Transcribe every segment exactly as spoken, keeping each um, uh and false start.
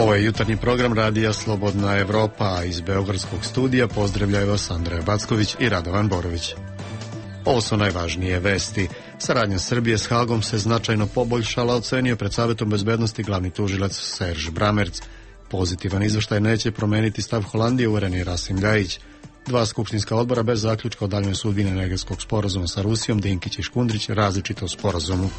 Ovo je jutarnji program radija Slobodna Evropa, a iz beogradskog studija pozdravljaju vas Andreja Backović i Radovan Borović. Ovo su najvažnije vesti. Saradnja Srbije s Hagom se značajno poboljšala, ocenio pred Savetom bezbednosti glavni tužilac Serž Bramerc. Pozitivan izveštaj neće promeniti stav Holandije, uveren je Rasim Ljajić. Dva skupštinska odbora bez zaključka o daljnjoj sudbini energetskog sporazuma sa Rusijom, Dinkić i Škundrić, različito o sporazumu.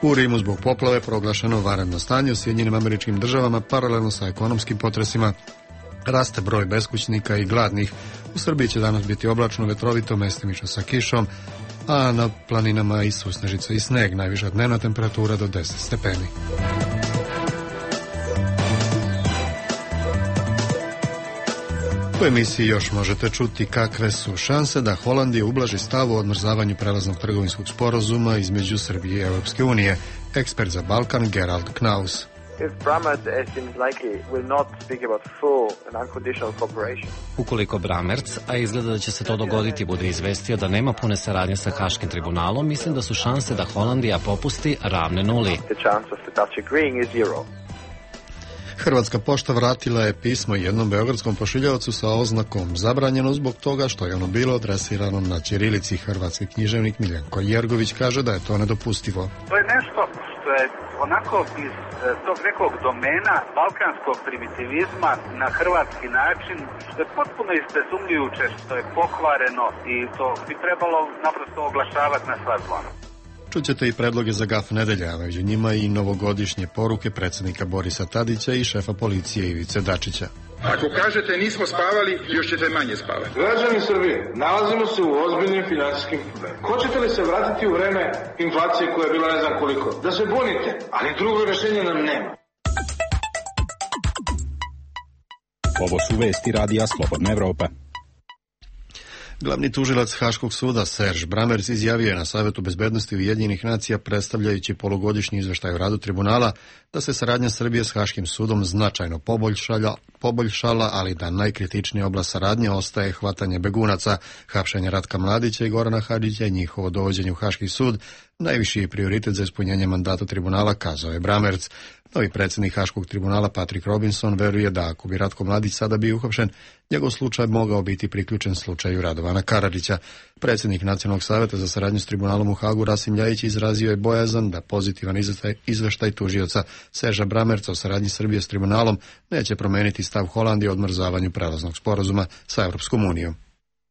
U Rimu zbog poplave proglašeno vanredno stanje. U Sjedinjenim Američkim Državama paralelno sa ekonomskim potresima raste broj beskućnika i gladnih. U Srbiji će danas biti oblačno, vetrovito, mestimično sa kišom, a na planinama i susnežica i sneg. Najviša dnevna temperatura do deset stepeni. U emisiji još možete čuti kakve su šanse da Holandija ublaži stav u odmrzavanju prelaznog trgovinskog sporazuma između Srbije i Europske unije. Ekspert za Balkan Gerald Knaus. Ukoliko Bramerc, a izgleda da će se to dogoditi, bude izvestio da nema pune saradnje sa Haškim tribunalom, mislim da su šanse da Holandija popusti ravne nuli. Hrvatska pošta vratila je pismo jednom beogradskom pošiljaocu sa oznakom zabranjeno zbog toga što je ono bilo adresirano na ćirilici. Hrvatski književnik Miljenko Jergović kaže da je to nedopustivo. To je nešto što je onako iz tog nekog domena balkanskog primitivizma na hrvatski način, što je potpuno izbezumljujuće, što je pokvareno i to bi trebalo naprosto oglašavati na sva zvona. Čućete i predloge za gaf nedelja, a među njima i novogodišnje poruke predsjednika Borisa Tadića i šefa policije Ivice Dačića. Ako kažete nismo spavali, još ćete manje spavati. Građani Srbije, nalazimo se u ozbiljnim financijskim problemima. Hoćete li se vratiti u vreme inflacije koja je bila ne znam koliko? Da se bunite, ali drugo rješenje nam nema. Ovo su vesti radija Slobodna Evropa. Glavni tužilac Haškog suda Serž Bramerc izjavio je na Savetu bezbednosti Ujedinjenih nacija, predstavljajući polugodišnji izveštaj o radu tribunala, da se saradnja Srbije s Haškim sudom značajno poboljšala, poboljšala, ali da najkritičnija oblast saradnje ostaje hvatanje begunaca, hapšenje Ratka Mladića i Gorana Hadžića i njihovo dovođenje u Haški sud. Najviši je prioritet za ispunjenje mandata tribunala, kazao je Bramerc. Novi predsjednik Haškog tribunala Patrick Robinson veruje da ako bi Ratko Mladić sada bio uhapšen, njegov slučaj mogao biti priključen slučaju Radovana Karadžića. Predsjednik Nacionalnog savjeta za saradnju s tribunalom u Hagu Rasim Ljajić izrazio je bojazan da pozitivan izveštaj, izveštaj tužioca Serža Bramerca o saradnji Srbije s tribunalom neće promijeniti stav Holandije o odmrzavanju prelaznog sporazuma sa Europskom unijom.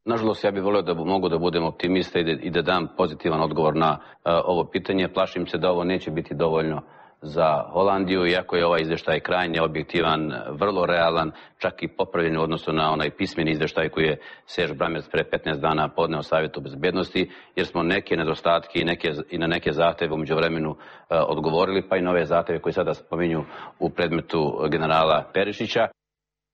Nažalost, ja bih volio da mogu da budem optimista i da, i da dam pozitivan odgovor na uh, ovo pitanje. Plašim se da ovo neće biti dovoljno za Holandiju, iako je ovaj izvještaj krajnje objektivan, vrlo realan, čak i popravljen u odnosu na onaj pismeni izvještaj koji je Serž Bramerc pre petnaest dana podneo Savjetu bezbednosti, jer smo neke nedostatke i, neke, i na neke zahteve u međuvremenu uh, odgovorili, pa i nove zahteve koji sada spominju u predmetu generala Perišića.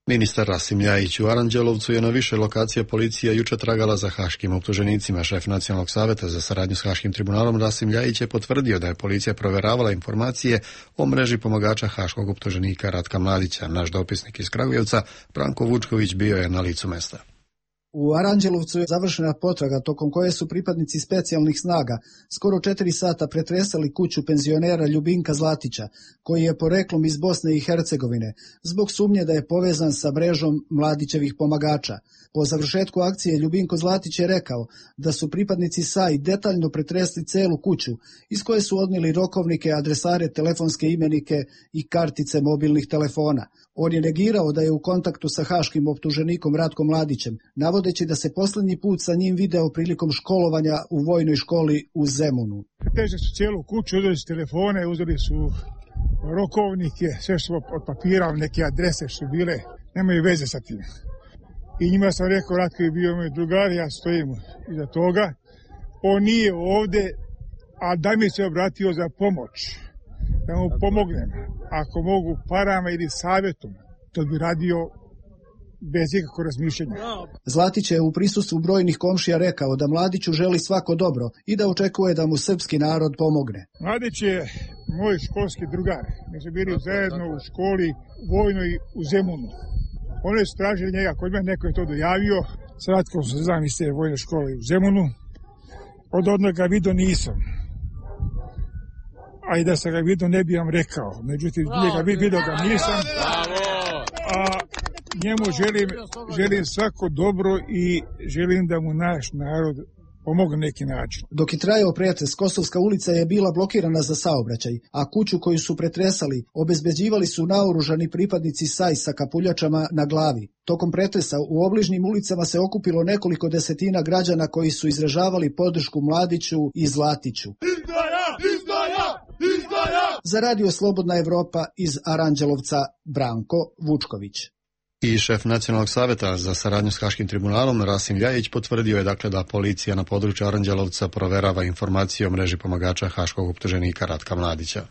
Ministar Rasim Ljajić u Aranđelovcu je na više lokacija policija juče tragala za haškim optuženicima. Šef Nacionalnog savjeta za saradnju s Haškim tribunalom Rasim Ljajić je potvrdio da je policija provjeravala informacije o mreži pomagača haškog optuženika Ratka Mladića. Naš dopisnik iz Kragujevca, Branko Vučković, bio je na licu mesta. U Aranđelovcu je završena potraga tokom koje su pripadnici specijalnih snaga skoro četiri sata pretresali kuću penzionera Ljubinka Zlatića, koji je poreklom iz Bosne i Hercegovine, zbog sumnje da je povezan sa mrežom Mladićevih pomagača. Po završetku akcije Ljubinko Zlatić je rekao da su pripadnici S A I detaljno pretresli celu kuću, iz koje su odnijeli rokovnike, adresare, telefonske imenike i kartice mobilnih telefona. On je negirao da je u kontaktu sa haškim optuženikom Ratkom Mladićem, navodeći da se posljednji put sa njim video prilikom školovanja u vojnoj školi u Zemunu. Pretežili su cijelu kuću, uzeli su telefone, uzeli su rokovnike, sve što od papira, neke adrese što bile, nemaju veze sa tim. I njima sam rekao, Ratko je bio moj drugar, ja stojim iza toga. On nije ovde, a da mi se obratio za pomoć, da mu pomognem. Ako mogu parama ili savjetom, to bi radio bez ikakvog razmišljanja. Zlatić je u prisustvu brojnih komšija rekao da Mladiću želi svako dobro i da očekuje da mu srpski narod pomogne. Mladić je moj školski drugar. Mi smo bili zajedno u školi vojnoj u Zemunu. Oni su tražili njega, kod mene neko je to dojavio. Sa Ratkom se znam iz te vojne škole u Zemunu. Od odnoga ga vidio nisam. a i da sam ga vidio ne bi vam rekao. Međutim, ga vidio ga nisam. A njemu želim, želim svako dobro i želim da mu naš narod pomogne neki način. Dok je trajao pretres, Kosovska ulica je bila blokirana za saobraćaj, a kuću koju su pretresali obezbeđivali su naoružani pripadnici S A I sa kapuljačama na glavi. Tokom pretresa u obližnjim ulicama se okupilo nekoliko desetina građana koji su izražavali podršku Mladiću i Zlatiću. Izdaja! Izdaja! Izdaja! Za Radio Slobodna Evropa iz Aranđelovca Branko Vučković. I šef Nacionalnog saveta za saradnju s Haškim tribunalom Rasim Ljajić potvrdio je dakle da policija na području Aranđelovca proverava informacije o mreži pomagača haškog optuženika Ratka Mladića.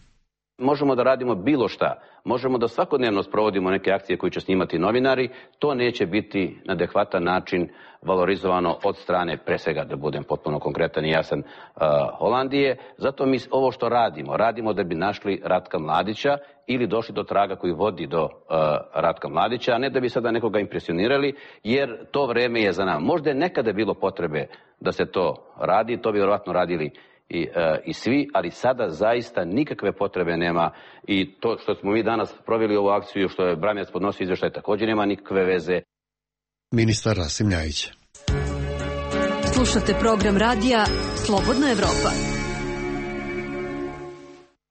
Možemo da radimo bilo šta, možemo da svakodnevno sprovodimo neke akcije koje će snimati novinari, to neće biti na adekvatan način valorizovano od strane, pre svega da budem potpuno konkretan i jasan, uh, Holandije. Zato mi ovo što radimo, radimo da bi našli Ratka Mladića ili došli do traga koji vodi do uh, Ratka Mladića, a ne da bi sada nekoga impresionirali, jer to vreme je za nama. Možda je nekada bilo potrebe da se to radi, to bi vjerovatno radili I, e, i svi, ali sada zaista nikakve potrebe nema i to što smo mi danas proveli ovu akciju, što je Bramerac podnosio izveštaj, također nema nikakve veze. Ministar Rasim Ljajić. Slušate program radija Slobodna Evropa.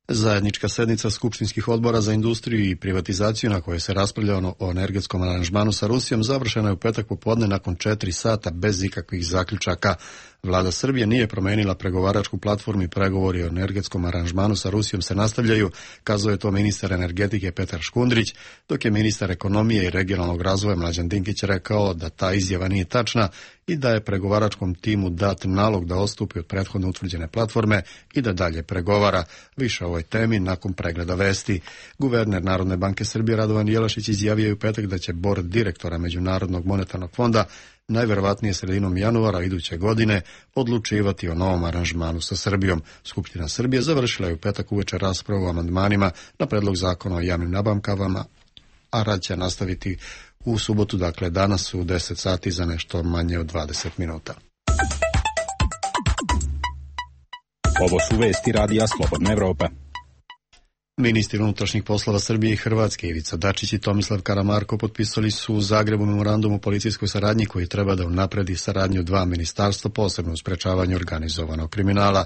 Zajednička sednica skupštinskih odbora za industriju i privatizaciju na kojoj se raspravljalo o energetskom aranžmanu sa Rusijom završena je u petak popodne nakon četiri sata bez ikakvih zaključaka. Vlada Srbije nije promenila pregovaračku platformu i pregovori o energetskom aranžmanu sa Rusijom se nastavljaju, kazao je to ministar energetike Petar Škundrić, dok je ministar ekonomije i regionalnog razvoja Mlađan Dinkić rekao da ta izjava nije tačna i da je pregovaračkom timu dat nalog da odstupi od prethodno utvrđene platforme i da dalje pregovara. Više o ovoj temi nakon pregleda vesti. Guverner Narodne banke Srbije Radovan Jelašić izjavio je u petak da će bord direktora Međunarodnog monetarnog fonda najverovatnije sredinom januara iduće godine odlučivati o novom aranžmanu sa Srbijom. Skupština Srbije završila je u petak uveče raspravu o amandmanima na predlog zakona o javnim nabavkama, a rad će nastaviti u subotu, dakle danas u deset sati za nešto manje od dvadeset minuta. Ovo su vesti radija Slobodna Evropa. Ministri unutrašnjih poslova Srbije i Hrvatske Ivica Dačić i Tomislav Karamarko potpisali su u Zagrebu memorandum o policijskoj saradnji koji treba da unapredi saradnju dva ministarstva, posebno u sprečavanju organizovanog kriminala.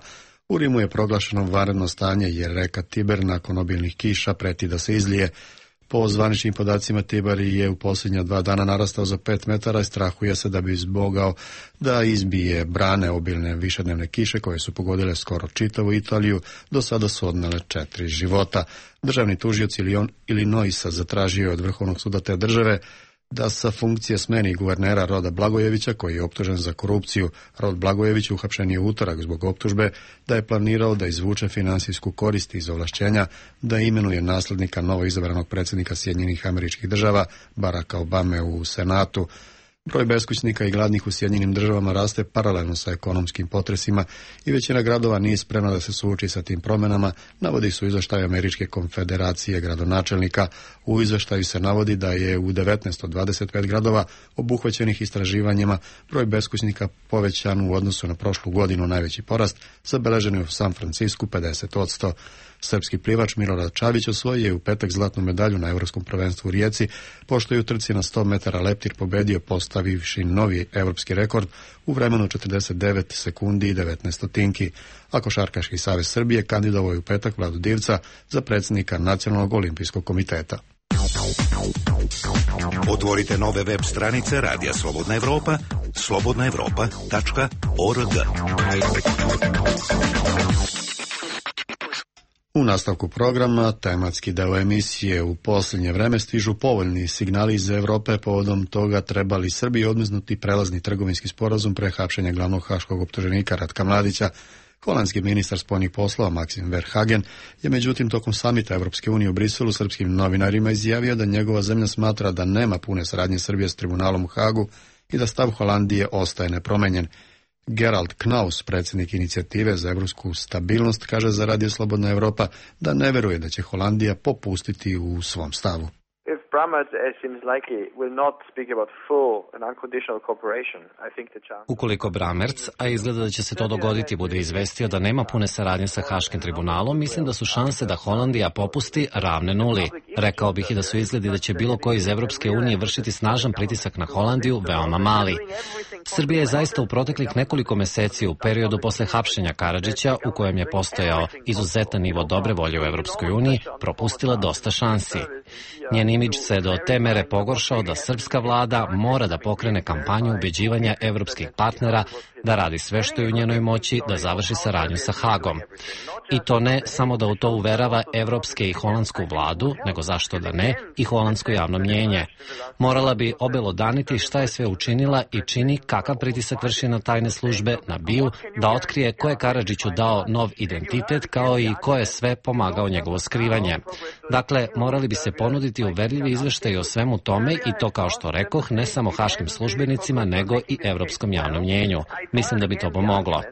U Rimu je proglašeno vanredno stanje jer reka Tiber nakon obilnih kiša preti da se izlije. Po zvaničnim podacima Tiber je u posljednja dva dana narastao za pet metara i strahuje se da bi izbogao da izbije brane obilne višednevne kiše koje su pogodile skoro čitavu Italiju, do sada su odnele četiri života. Državni tužioc Illinoisa zatražio je od Vrhovnog suda te države da sa funkcije smeni guvernera Roda Blagojevića koji je optužen za korupciju. Rod Blagojević uhapšen je u utorak zbog optužbe da je planirao da izvuče finansijsku korist iz ovlašćenja da imenuje naslednika novoizabranog predsjednika Sjedinjenih Američkih Država Baracka Obame u Senatu. Broj beskućnika i gladnih u Sjedinjenim Državama raste paralelno sa ekonomskim potresima i većina gradova nije spremna da se suoči sa tim promjenama, navodi su izvještaj Američke konfederacije gradonačelnika. U izvještaju se navodi da je u devetnaest od dvadeset pet gradova obuhvaćenih istraživanjima broj beskućnika povećan u odnosu na prošlu godinu. Najveći porast zabeležen je u San Francisku pedeset posto. Srpski plivač Milorad Čavić osvojio je u petak zlatnu medalju na Evropskom prvenstvu u Rijeci, pošto je u trci na sto metara leptir pobedio postavivši novi evropski rekord u vremenu četrdeset devet sekundi i devetnaest stotinki. A Košarkaški savez Srbije kandidovao je u petak Vladu Divca za predsjednika Nacionalnog olimpijskog komiteta. Otvorite nove web stranice Radija Slobodna Evropa, slobodna evropa tačka org. U nastavku programa, tematski deo emisije. U posljednje vreme stižu povoljni signali iz Evrope povodom toga treba li Srbiji odmrznuti prelazni trgovinski sporazum pre hapšenja glavnog haškog optuženika Ratka Mladića. Holandski ministar spoljnih poslova Maxim Verhagen je međutim tokom samita Evropske unije u Briselu srpskim novinarima izjavio da njegova zemlja smatra da nema pune saradnje Srbije s tribunalom u Hagu i da stav Holandije ostaje nepromenjen. Gerald Knaus, predsjednik inicijative za evropsku stabilnost, kaže za Radio Slobodna Evropa da ne veruje da će Holandija popustiti u svom stavu. If Ukoliko Bramerc, a izgleda da će se to dogoditi, bude izvestio da nema pune saradnje sa Haškim tribunalom, mislim da su šanse da Holandija popusti ravne nuli. Rekao bih i da su izgledi da će bilo ko iz Evropske unije vršiti snažan pritisak na Holandiju veoma mali. Srbija je zaista u proteklih nekoliko meseci u periodu posle hapšenja Karadžića, u kojem je postojao izuzetan nivo dobre volje u Evropskoj uniji, propustila dosta šansi. Njen imidž se do te mere pogoršao da srpska vlada mora da pokrene kampanju ubeđivanja evropskih partnera da radi sve što je u njenoj moći da završi saradnju sa Hagom. I to ne samo da u to uverava evropske i holandsku vladu, nego zašto da ne, i holandsko javno mnjenje. Morala bi obelodaniti šta je sve učinila i čini, kakav pritisak vrši na tajne službe, na B I U, da otkrije ko je Karadžiću dao nov identitet, kao i ko je sve pomagao njegovo skrivanje. Dakle, morali bi se ponuditi uverljivi izveštaj o svemu tome i to, kao što rekoh, ne samo haškim službenicima, nego i evropskom javnom mnjenju. Mislim da bi to pomoglo.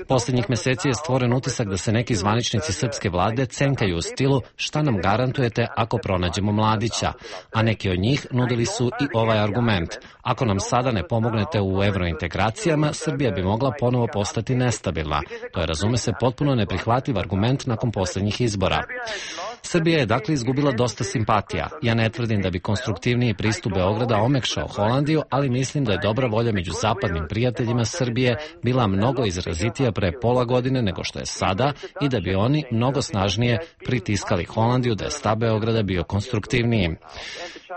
Posljednjih meseci je stvoren utisak da se neki zvaničnici srpske vlade cenkaju u stilu šta nam garantujete ako pronađemo Mladića, a neki od njih nudili su i ovaj argument. Ako nam sada ne pomognete u evrointegracijama, Srbija bi mogla ponovo postati nestabilna. To je, razume se, potpuno neprihvatljiv argument nakon posljednjih izbora. Srbija je dakle izgubila dosta simpatija. Ja ne tvrdim da bi konstruktivniji pristup Beograda omekšao Holandiju, ali mislim da je dobra volja među zapadnim prijateljima Srbije bila mnogo izrazitija pre pola godine nego što je sada i da bi oni mnogo snažnije pritiskali Holandiju da je stav Beograda bio konstruktivniji.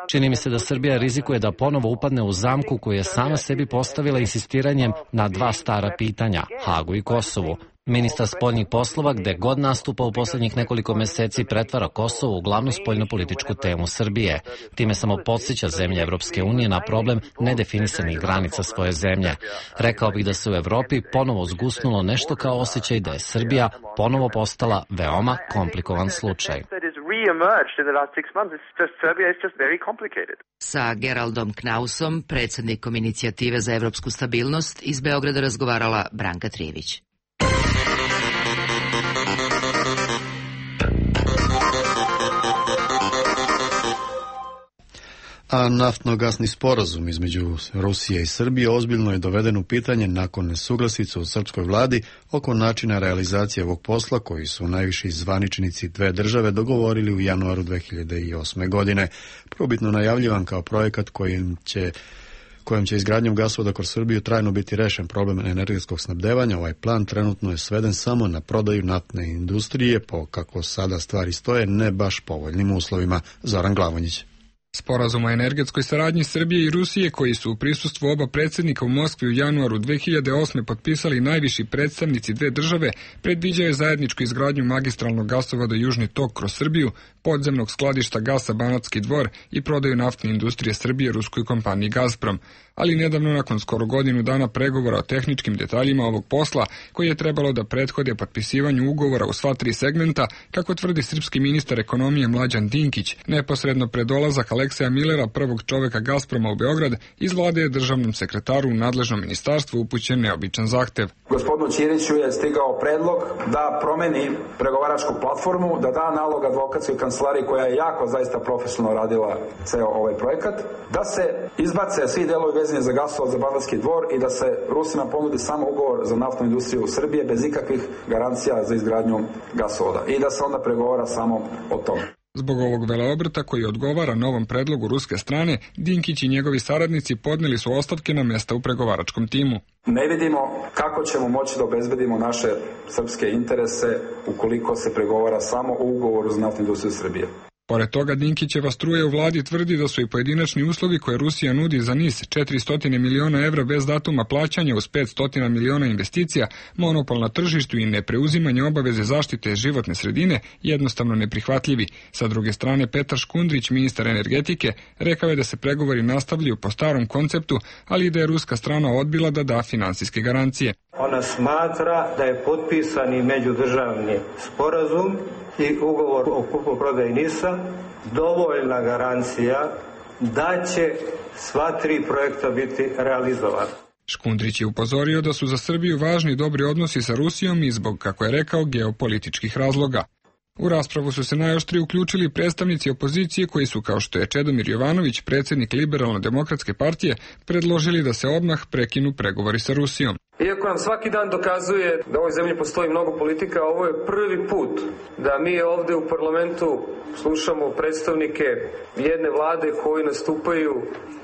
Čini mi se da Srbija rizikuje da ponovo upadne u zamku koju je sama sebi postavila insistiranjem na dva stara pitanja, Hagu i Kosovu. Ministar spoljnih poslova, gde god nastupa u poslednjih nekoliko meseci, pretvara Kosovo u glavnu spoljnopolitičku temu Srbije. Time samo podsjeća zemlje Evropske unije na problem nedefinisanih granica svoje zemlje. Rekao bih da se u Evropi ponovo zgusnulo nešto kao osjećaj da je Srbija ponovo postala veoma komplikovan slučaj. Sa Geraldom Knausom, predsjednikom Inicijative za evropsku stabilnost, iz Beograda razgovarala Branka Trijević. A naftno-gasni sporazum između Rusije i Srbije ozbiljno je doveden u pitanje nakon nesuglasica u srpskoj vladi oko načina realizacije ovog posla koji su najviši zvaničnici dve države dogovorili u januaru dve hiljade osme. godine. Probitno najavljivan kao projekat kojim će kojim će izgradnjom gasovoda kroz Srbiju trajno biti rešen problem energetskog snabdevanja. Ovaj plan trenutno je sveden samo na prodaju naftne industrije po, kako sada stvari stoje, ne baš povoljnim uslovima. Zoran Glavonjić. Sporazum o energetskoj saradnji Srbije i Rusije, koji su u prisustvu oba predsjednika u Moskvi u januaru dve hiljade osme. potpisali najviši predstavnici dve države, predviđaju zajedničku izgradnju magistralnog gasovoda Južni tok kroz Srbiju, podzemnog skladišta gasa Banatski Dvor i prodaju naftne industrije Srbije ruskoj kompaniji Gazprom. Ali nedavno, nakon skoro godinu dana pregovora o tehničkim detaljima ovog posla, koji je trebalo da prethode potpisivanju ugovora u sva tri segmenta, kako tvrdi srpski ministar ekonomije Mlađan Dinkić, neposredno pred dolazak Alekseja Milera, prvog čoveka Gazproma u Beograd, iz vlade je državnom sekretaru u nadležnom ministarstvu upućen neobičan zahtev. Gospodinu Ćiriću je stigao predlog da promeni pregovaračku platformu, da da nalog advokatskoj kancelariji koja je jako zaista profesionalno radila ceo ovaj projekat, da se izbace svi delovi vezani za gasovod za Banatski Dvor i da se Rusima ponudi samo ugovor za naftnu industriju u Srbije bez ikakvih garancija za izgradnju gasovoda i da se onda pregovara samo o tome. Zbog ovog veleobrta koji odgovara novom predlogu ruske strane, Dinkić i njegovi saradnici podneli su ostavke na mesta u pregovaračkom timu. Ne vidimo kako ćemo moći da obezbedimo naše srpske interese ukoliko se pregovara samo o ugovoru za naftnu industriju Srbije. Pored toga, Dinkićeva struja u vladi tvrdi da su i pojedinačni uslovi koje Rusija nudi za niz četiristo miliona evra bez datuma plaćanja uz petsto miliona investicija, monopol na tržištu i nepreuzimanje obaveze zaštite životne sredine jednostavno neprihvatljivi. Sa druge strane, Petar Škundrić, ministar energetike, rekao je da se pregovori nastavljaju po starom konceptu, ali i da je ruska strana odbila da da finansijske garancije. Ona smatra da je potpisani međudržavni sporazum i ugovor o kupoprodaji NIS-a dovoljna garancija da će sva tri projekta biti realizovana. Škundrić je upozorio da su za Srbiju važni dobri odnosi sa Rusijom i zbog, kako je rekao, geopolitičkih razloga. U raspravu su se najoštrije uključili predstavnici opozicije koji su, kao što je Čedomir Jovanović, predsjednik Liberalno-demokratske partije, predložili da se odmah prekinu pregovori sa Rusijom. Iako nam svaki dan dokazuje da u ovoj zemlji postoji mnogo politika, ovo je prvi put da mi ovde u parlamentu slušamo predstavnike jedne vlade koji nastupaju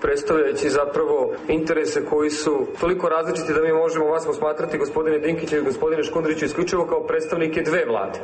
predstavljajući zapravo interese koji su toliko različiti da mi možemo vas posmatrati, gospodine Dinkiću i gospodine Škundriću, isključivo kao predstavnike dve vlade.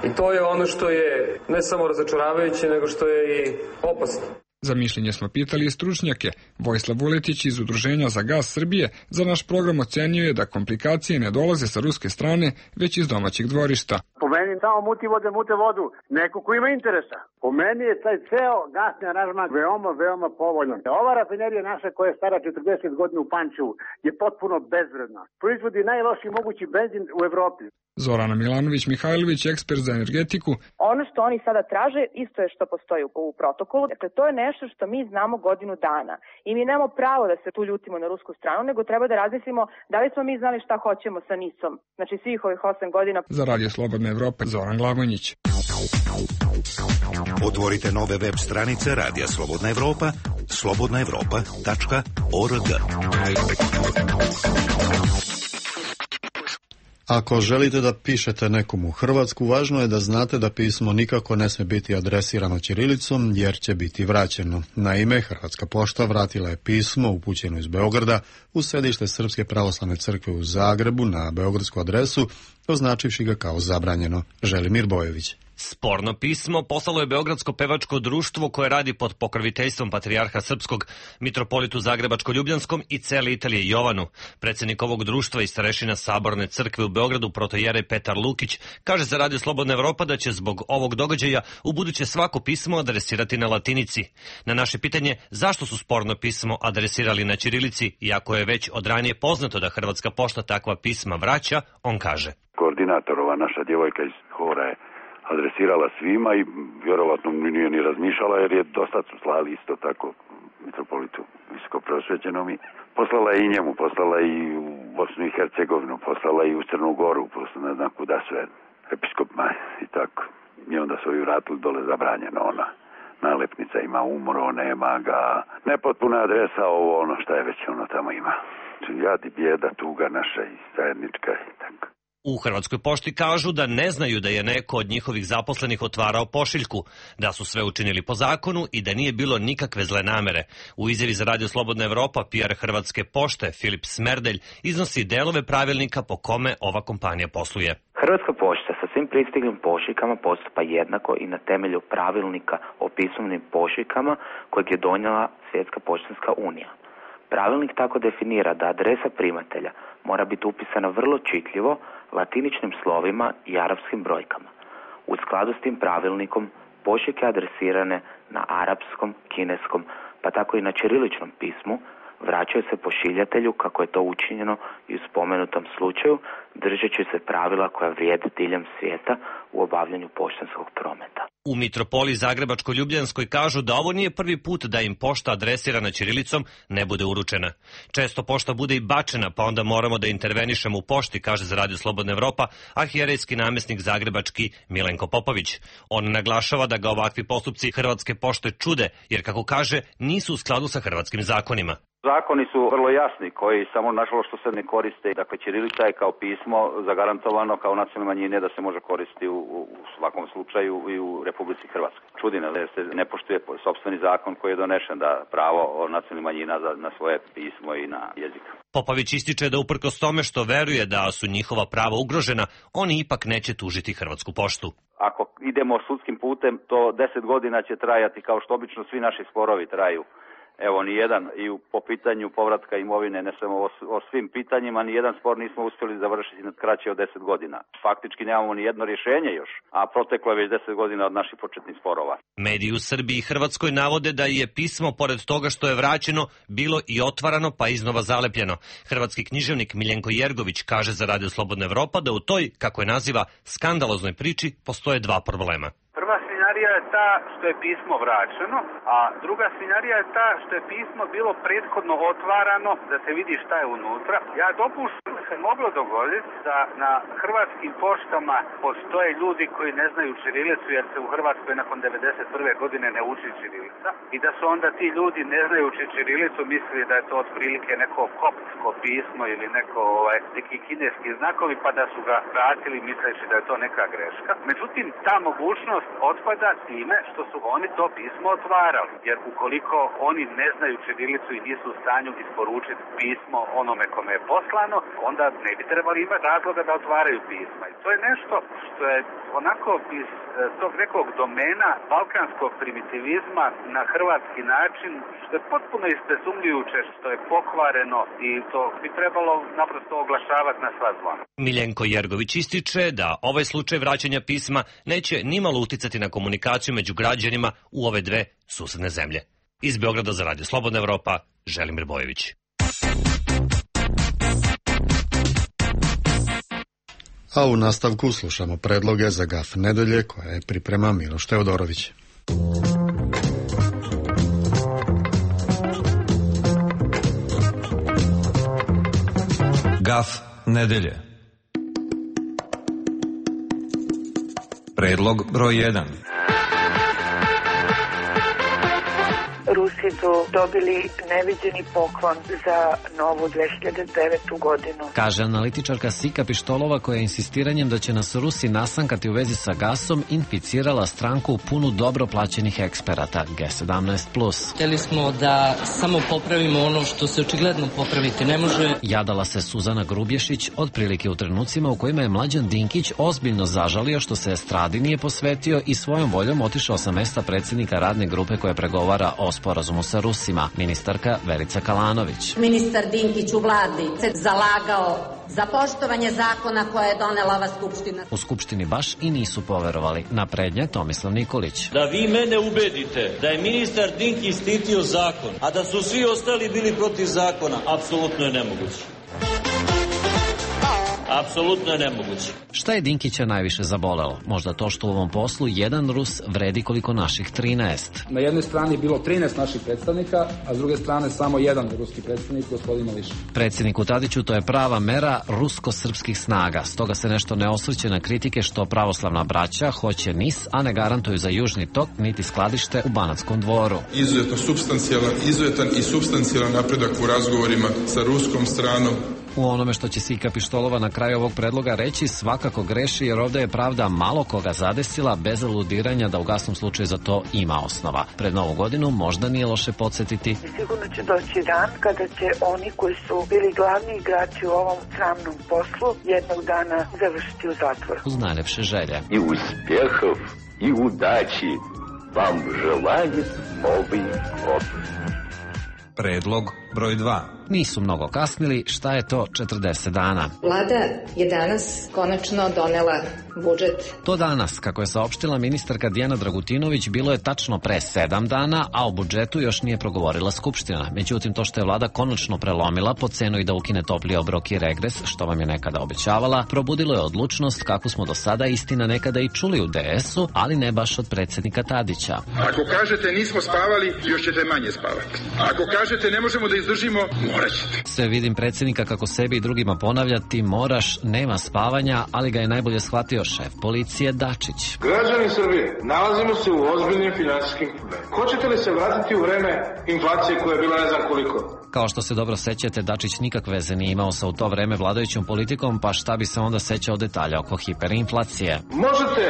I to je ono što je ne samo razočaravajuće, nego što je i opasno. Za mišljenje smo pitali i stručnjake. Vojislav Vuletić iz Udruženja za gas Srbije za naš program ocenjuje da komplikacije ne dolaze sa ruske strane, već iz domaćih dvorišta. Po meni samo muti vode, mute vodu. Neko ko ima interesa. Po meni je taj ceo gasni aranžman veoma, veoma povoljan. Ova rafinerija naša koja je stara četrdeset godina u Pančevu je potpuno bezvredna. Proizvodi najlošiji mogući benzin u Evropi. Zorana Milanović-Mihajlović, ekspert za energetiku. Ono što oni sada traže isto je što postoji u protokolu. Dakle, to je nešto što mi znamo godinu dana. I mi nemamo pravo da se tu ljutimo na rusku stranu, nego treba da razmislimo da li smo mi znali šta hoćemo sa nisom. Znači svih ovih osam godina. Za Radio Slobodna Evropa, Zoran Glavonjić. Otvorite nove web stranice Radija Slobodna Evropa, slobodna evropa tačka org. Ako želite da pišete nekom u Hrvatsku, važno je da znate da pismo nikako ne smije biti adresirano ćirilicom, jer će biti vraćeno. Naime, Hrvatska pošta vratila je pismo upućeno iz Beograda u sedište Srpske pravoslavne crkve u Zagrebu na beogradsku adresu, označivši ga kao zabranjeno. Želimir Bojević. Sporno pismo poslalo je Beogradsko pevačko društvo koje radi pod pokroviteljstvom patrijarha srpskog, mitropolitu Zagrebačko-Ljubljanskom i cele Italije Jovanu. Predsjednik ovog društva i starešina Saborne crkve u Beogradu protojerej Petar Lukić kaže za Radio Slobodna Evropa da će zbog ovog događaja u buduće svako pismo adresirati na latinici. Na naše pitanje zašto su sporno pismo adresirali na ćirilici, iako je već od ranije poznato da Hrvatska pošta takva pisma vraća, on kaže. Koordinatorova naša djevojka iz hora je adresirala svima i vjerovatno nije ni razmišljala jer je dosta su slali isto tako mitropolitu visoko preosvećenom i poslala je i njemu, poslala i u Bosnu i Hercegovinu, poslala i u Crnu Goru, poslala ne znam kuda sve, episkopima i tako. I onda su ju vratili dole zabranjeno ona. Nalepnica ima umro, nema ga, nepotpuna adresa, ovo ono šta je već ono tamo ima. Jad i bijeda, tuga naša i zajednička i tako. U Hrvatskoj pošti kažu da ne znaju da je neko od njihovih zaposlenih otvarao pošiljku, da su sve učinili po zakonu i da nije bilo nikakve zle namere. U izjavi za Radio Slobodna Evropa, P R Hrvatske pošte Filip Smerdelj iznosi delove pravilnika po kome ova kompanija posluje. Hrvatska pošta sa svim pristiglim pošiljkama postupa jednako i na temelju pravilnika o pismovnim pošiljkama kojeg je donijela Svjetska poštanska unija. Pravilnik tako definira da adresa primatelja mora biti upisana vrlo čitljivo, latiničnim slovima i arapskim brojkama. U skladu s tim pravilnikom pošiljke adresirane na arapskom, kineskom, pa tako i na ćiriličnom pismu vraćaju se pošiljatelju kako je to učinjeno i u spomenutom slučaju, držeći se pravila koja vrijede diljem svijeta u obavljanju poštanskog prometa. U mitropoliji Zagrebačko-Ljubljanskoj kažu da ovo nije prvi put da im pošta adresirana ćirilicom ne bude uručena. Često pošta bude i bačena, pa onda moramo da intervenišemo u pošti, kaže za Radio Slobodna Evropa arhijerejski namjesnik zagrebački Milenko Popović. On naglašava da ga ovakvi postupci Hrvatske pošte čude, jer kako kaže, nisu u skladu sa hrvatskim zakonima. Zakoni su vrlo jasni koji samo nažalost što se ne koriste. Dakle, ćirilica je kao pismo zagarantovano kao nacionalne manjine da se može koristiti u, u svakom slučaju i u Republici Hrvatskoj. Čudi me da se ne poštuje sopstveni zakon koji je donešen da pravo nacionalnih manjina na svoje pismo i na jezik. Popović ističe da uprkos tome što veruje da su njihova prava ugrožena, oni ipak neće tužiti Hrvatsku poštu. Ako idemo sudskim putem, to deset godina će trajati kao što obično svi naši sporovi traju. Evo, ni jedan i po pitanju povratka imovine, ne samo o, o svim pitanjima, ni jedan spor nismo uspjeli završiti na kraće od deset godina. Faktički nemamo ni jedno rješenje još, a proteklo je već deset godina od naših početnih sporova. Mediji u Srbiji i Hrvatskoj navode da je pismo, pored toga što je vraćeno, bilo i otvarano pa iznova zalepljeno. Hrvatski književnik Miljenko Jergović kaže za Radio Slobodna Evropa da u toj, kako je naziva, skandaloznoj priči postoje dva problema. Prva svinjarija je ta što je pismo vraćeno, a druga svinjarija je ta što je pismo bilo prethodno otvarano da se vidi šta je unutra. Ja dopuštam se moglo dogoditi da na hrvatskim poštama postoje ljudi koji ne znaju ćirilicu jer se u Hrvatskoj nakon devedeset prve godine ne uči ćirilica i da su onda ti ljudi ne znajući ćirilicu mislili da je to otprilike neko koptsko pismo ili neko ovaj, neki kineski znakovi pa da su ga vratili misleći da je to neka greška. Međutim, ta mogućnost otpada time što su oni to pismo otvarali jer ukoliko oni ne znaju ćirilicu i nisu u stanju isporučiti pismo onome kome je poslano, onda ne bi trebali imati razloga da otvaraju pisma. I to je nešto što je onako iz tog nekog domena balkanskog primitivizma na hrvatski način, što je potpuno istesumljujuće, što je pokvareno i to bi trebalo naprosto oglašavati na sva zvona. Miljenko Jergović ističe da ovaj slučaj vraćanja pisma neće nimalo uticati na komunikaciju među građanima u ove dve susedne zemlje. Iz Beograda za Radio Slobodna Evropa, Želimir Bojević. A u nastavku slušamo predloge za gaf nedelje koje priprema Miloš Teodorović. Gaf nedelje. Predlog broj jedan. Rusi su dobili neviđeni poklon za novu dve hiljade devetu godinu. Kaže analitičarka Sika Pištolova koja je insistiranjem da će nas Rusi nasankati u vezi sa gasom inficirala stranku punu dobro plaćenih eksperata G sedamnaest plus. Htjeli smo da samo popravimo ono što se očigledno popraviti ne može. Jadala se Suzana Grubješić otprilike u trenucima u kojima je Mlađan Dinkić ozbiljno zažalio što se estradi nije posvetio i svojom voljom otišao sa mesta predsjednika radne grupe koja pregovara o sporazumu sa Rusima, ministarka Verica Kalanović. Ministar Dinkić u vladi se zalagao za poštovanje zakona koje je donela ova skupština. U skupštini baš i nisu poverovali. Naprednjak Tomislav Nikolić. Da vi mene ubedite da je ministar Dinkić štitio zakon, a da su svi ostali bili protiv zakona, apsolutno je nemoguće. Apsolutno je nemoguće. Šta je Dinkića najviše zabolelo? Možda to što u ovom poslu jedan Rus vredi koliko naših trinaest. Na jednoj strani je bilo trinaest naših predstavnika, a s druge strane samo jedan ruski predstavnik, gospodin Mališa. Predsjedniku Tadiću to je prava mera rusko-srpskih snaga. Stoga se nešto ne osvrće na kritike što pravoslavna braća hoće N I S, a ne garantuju za južni tok niti skladište u Banatskom dvoru. Izuzetno substancijalan, izuzetan i substancijalan napredak u razgovorima sa ruskom stranom. U onome što će Sika Pištolova na kraju ovog predloga reći svakako greši jer ovdje je pravda malo koga zadesila bez aludiranja da u gasnom slučaju za to ima osnova. Pred Novu godinu možda nije loše podsjetiti. Sigurno će doći dan kada će oni koji su bili glavni igrači u ovom sramnom poslu jednog dana završiti u zatvoru. Uz najlepše želje. I uspjehov i udaći vam želaju Novi god. Predlog broj dva. Nisu mnogo kasnili, šta je to četrdeset dana? Vlada je danas konačno donela budžet. To danas, kako je saopštila ministarka Dijana Dragutinović, bilo je tačno pre sedam dana, a o budžetu još nije progovorila Skupština. Međutim, to što je vlada konačno prelomila po cenu i da ukine topli obrok i regres, što vam je nekada obećavala, probudilo je odlučnost kakvu smo do sada istina nekada i čuli u D S-u, ali ne baš od predsjednika Tadića. Ako kažete nismo spavali, još ćete manje spavati. Ako kažete ne možemo da izdržimo, morat ćete. Sve vidim predsjednika kako sebi i drugima ponavlja, ti moraš, nema spavanja, ali ga je najbolje shvatio šef policije Dačić. Građani Srbije, nalazimo se u ozbiljnim finansijskim problemima. Hoćete li se vratiti u vreme inflacije koja je bila ne znam koliko? Kao što se dobro sećate, Dačić nikakve veze nije imao sa u to vreme vladajućom politikom, pa šta bi se onda sećao detalja oko hiperinflacije. Možete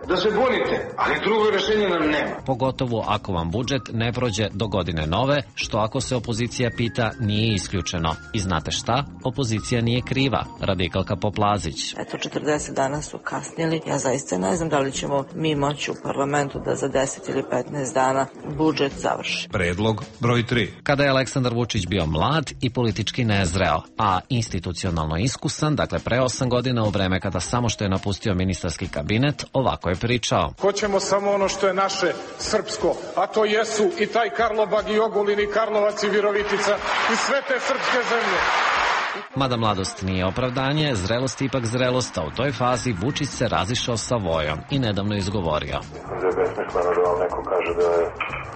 da se bunite, ali drugo rješenje nam nema. Pogotovo ako vam budžet ne prođe do godine nove, što ako se opozicija pita nije isključeno. I znate šta? Opozicija nije kriva. Radikalka Poplazić. Eto, četrdeset dana su kasnili. Ja zaista ne znam da li ćemo mi moći u parlamentu da za deset ili petnaest dana budžet završi. Predlog broj tri. Kada je Aleksandar Vučić bio mlad i politički nezreo, a institucionalno iskusan, dakle pre osam godina u vreme kada samo što je napustio ministarski kabinet, ovako je pričao. Hoćemo samo ono što je naše srpsko, a to jesu i taj Karlobag i Ogulin i Karlovac i Virovitica i sve te srpske zemlje. Mada mladost nije opravdanje, zrelost ipak zrelost, a u toj fazi Vučić se razišao sa Vojom i nedavno izgovorio. Mislim da je besmisleno da vam neko kaže da je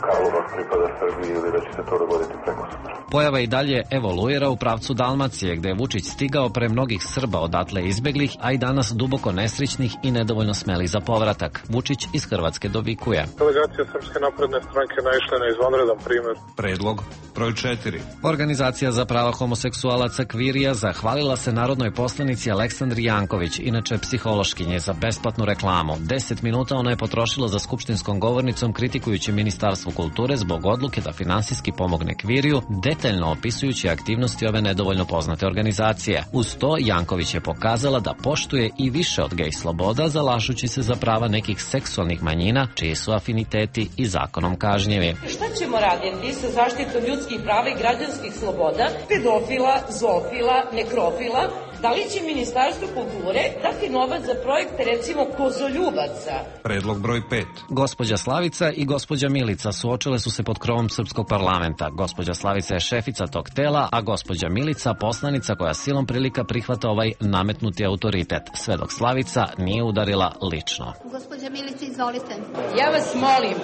Karlovac pripada Srbiji ili da će se to dogoditi preko sutra. Pojava i dalje evoluira u pravcu Dalmacije, gde je Vučić stigao pre mnogih Srba odatle izbeglih, a i danas duboko nesrećnih i nedovoljno smelih za povratak. Vučić iz Hrvatske dovikuje. Delegacija Srpske napredne stranke naišla na izvanredan primer. Predlog broj četiri. Organizacija za prava homoseksualaca Kvirija zahvalila se narodnoj poslanici Aleksandri Janković, inače psihološkinje, za besplatnu reklamu. Deset minuta ona je potrošila za skupštinskom govornicom kritikujući Ministarstvo kulture zbog odluke da finansijski pomogne Kviriju, detaljno opisujući aktivnosti ove nedovoljno poznate organizacije. Uz to Janković je pokazala da poštuje i više od gej sloboda, zalažući se za prava nekih seksualnih manjina, čiji su afiniteti i zakonom kažnjivi. Šta ćemo raditi sa zaštitom ljudskih prava i građanskih sloboda, pedofila, zoofila, nekrofila? Da li će Ministarstvo kulture dati novac za projekte, recimo, kozoljubaca? Predlog broj pet. Gospođa Slavica i gospođa Milica suočile su se pod krovom srpskog parlamenta. Gospođa Slavica je šefica tog tela, a gospođa Milica poslanica koja silom prilika prihvata ovaj nametnuti autoritet, sve dok Slavica nije udarila lično. Gospođa Milica, izvolite. Ja vas molim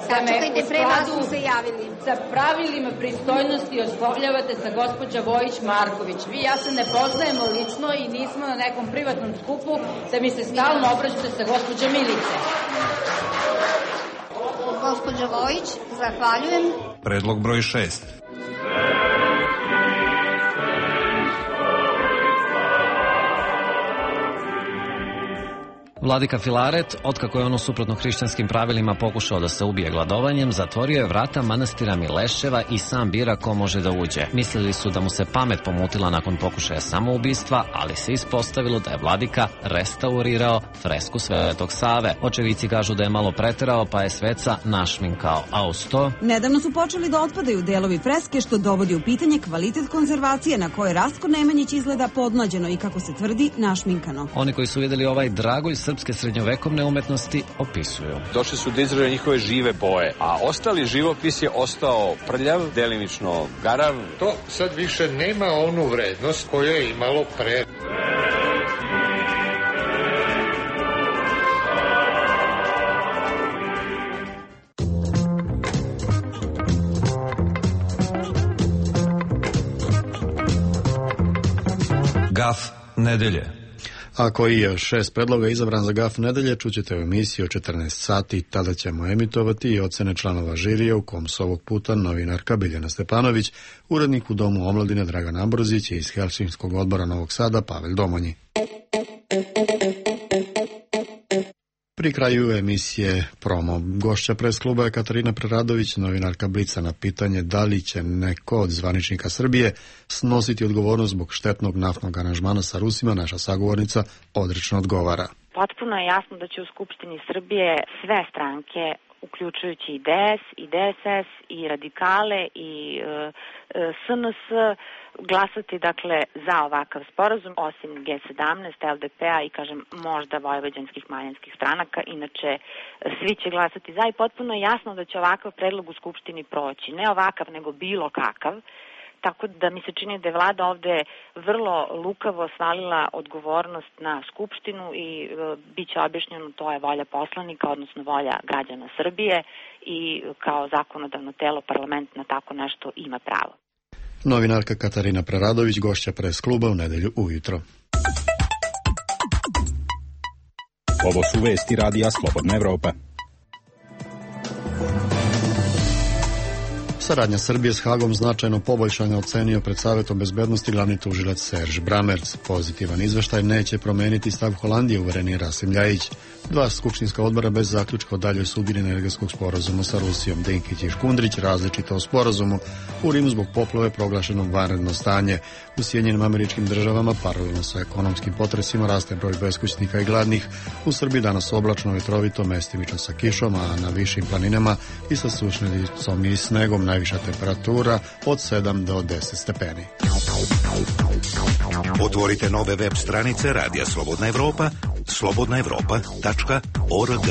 da me Sačekajte, u pre vas skladu su se javili. sa pravilima pristojnosti oslovljavate sa gospođa Vojić-Marković. Vi i ja se ne poznajemo lično i nismo na nekom privatnom skupu, da mi se stalno obraćate sa gospođa Milice. Gospođa Vojić, zahvaljujem. Predlog broj šest. Vladika Filaret, otkako je ono suprotno hrišćanskim pravilima pokušao da se ubije gladovanjem, zatvorio je vrata manastira Mileševa i sam bira ko može da uđe. Mislili su da mu se pamet pomutila nakon pokušaja samoubistva, ali se ispostavilo da je vladika restaurirao fresku Svetog Save. Očevici kažu da je malo preterao, pa je sveca našminkao, a uz to... Nedavno su počeli da otpadaju delovi freske, što dovodi u pitanje kvalitet konzervacije na koje Rastko Nemanjić izgleda podmlađeno i, kako se tvrdi, našminkano. Oni koji su videli ovaj dragulj srpske srednjovekovne umetnosti opisuju. Došli su da izraže njihove žive boje, a ostali živopis je ostao prljav, delimično garav. To sad više nema onu vrednost koju je imalo pre. Gaf nedelje. A koji je šest predloga izabran za gaf nedelje, čućete u emisiji o četrnaest sati. Tada ćemo emitovati i ocene članova žirija, u kom su ovog puta novinarka Biljana Stepanović, urednik u Domu omladine Dragan Ambrozić i iz Helsinskog odbora Novog Sada Pavel Domonji. Pri kraju emisije promo. Gošća pres kluba je Katarina Preradović, novinarka Blica. Na pitanje da li će neko od zvaničnika Srbije snositi odgovornost zbog štetnog naftnog aranžmana sa Rusima, naša sagovornica odrečno odgovara. Potpuno je jasno da će u Skupštini Srbije sve stranke, uključujući i D S, i D S S, i radikale, i e, S N S, glasati dakle za ovakav sporazum, osim G sedamnaest, L D P-a i kažem možda vojvođanskih manjinskih stranaka, inače svi će glasati za i potpuno je jasno da će ovakav predlog u Skupštini proći. Ne ovakav, nego bilo kakav. Tako da mi se čini da je vlada ovde vrlo lukavo svalila odgovornost na Skupštinu i e, bit će objašnjeno, to je volja poslanika, odnosno volja građana Srbije i kao zakonodavno telo parlament na tako nešto ima pravo. Novinarka Katarina Preradović, gošća pres kluba u nedelju ujutro. Ovo su vesti radija Slobodna Evropa. Saradnja Srbije s Hagom značajno poboljšanja, ocenio pred Savetom bezbednosti glavni tužilac Serž Bramerc. Pozitivan izveštaj neće promeniti stav Holandije, uveren je Rasim Ljajić. Dva skupštinska odbora bez zaključka o daljoj sudbini energetskog sporazuma sa Rusijom. Dinkić i Škundrić različito o sporazumu. U Rimu zbog poplave proglašeno vanredno stanje. U Sjedinjenim Američkim Državama paralelno sa ekonomskim potresima raste broj beskućnika i gladnih. U Srbiji danas oblačno, vetrovito, mestimično sa kišom, a na višim planinama i sa sušnicom i snegom. Najviša temperatura od sedam do deset stepeni. Otvorite nove web stranice Radija Slobodna Evropa, slobodna evropa tačka org.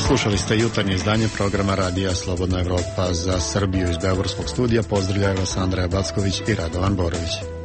Slušali ste jutarnje izdanje programa Radija Slobodna Evropa. Za Srbiju iz Beogradskog studija pozdravljaju vas Andreja Backović i Radovan Borović.